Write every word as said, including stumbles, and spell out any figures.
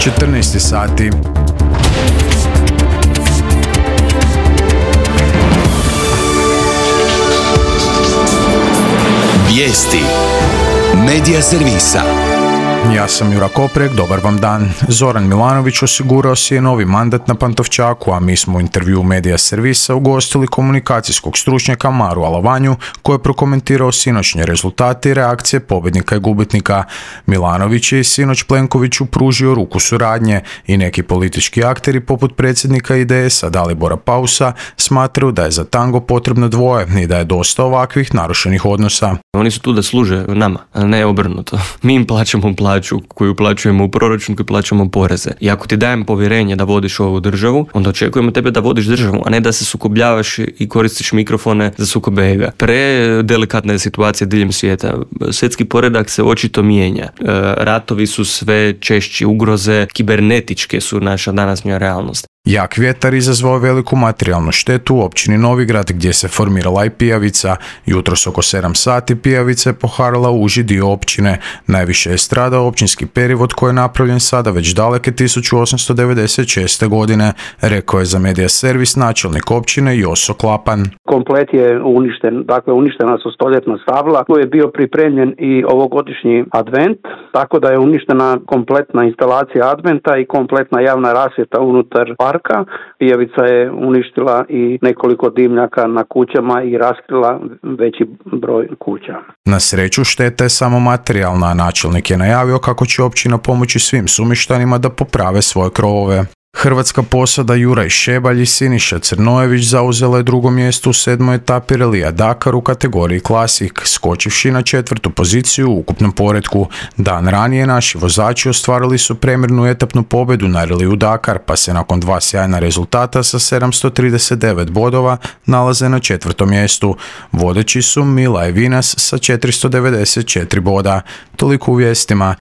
četrnaest sati. Vijesti Medija servisa. Ja sam Jura Koprek, dobar vam dan. Zoran Milanović osigurao si je novi mandat na Pantovčaku, a mi smo u intervju Medija servisa ugostili komunikacijskog stručnjaka Maru Alavanju, koji je prokomentirao sinoćnje rezultate i reakcije pobjednika i gubitnika. Milanović je sinoć Plenkoviću pružio ruku suradnje i neki politički akteri poput predsjednika I D S-a Dalibora Pausa smatraju da je za tango potrebno dvoje i da je dosta ovakvih narušenih odnosa. Oni su tu da služe nama, a ne obrnuto. Mi im plaćamo plaću koju uplaćujemo u proračun, koju plaćamo poreze. I ako ti dajem povjerenje da vodiš ovu državu, onda očekujemo tebe da vodiš državu, a ne da se sukobljavaš i koristiš mikrofone za sukobe ega. Predelikatna je situacija diljem svijeta. Svjetski poredak se očito mijenja. Ratovi su sve češći, ugroze kibernetičke su naša današnja realnost. Jak vjetar izazvao veliku materijalnu štetu u općini Novigrad gdje se formirala i pijavica. Jutros oko sedam sati pijavica je poharala uži dio općine. Najviše je stradao općinski perivod koji je napravljen sada već daleke tisuću osamsto devedeset šeste. godine, rekao je za Medija servis načelnik općine Joso Klapan. Komplet je uništen, dakle uništena su stoljetna stabla, tu je bio pripremljen i ovogodišnji advent, tako da je uništena kompletna instalacija adventa i kompletna javna rasvjeta unutar parka. Pijavica je uništila i nekoliko dimnjaka na kućama i raskrila veći broj kuća. Na sreću šteta je samo materijalna, a načelnik je najavio kako će općina pomoći svim sumještanima da poprave svoje krovove. Hrvatska posada Juraj Šebalj i Siniša Crnojević zauzela je drugo mjesto u sedmoj etapi relija Dakar u kategoriji Klasik, skočivši na četvrtu poziciju u ukupnom poretku. Dan ranije naši vozači ostvarili su premjernu etapnu pobjedu na reliju Dakar, pa se nakon dva sjajna rezultata sa sedamsto trideset devet bodova nalaze na četvrtom mjestu. Vodeći su Mila i Vinas sa četiristo devedeset četiri boda. Toliko u vijestima.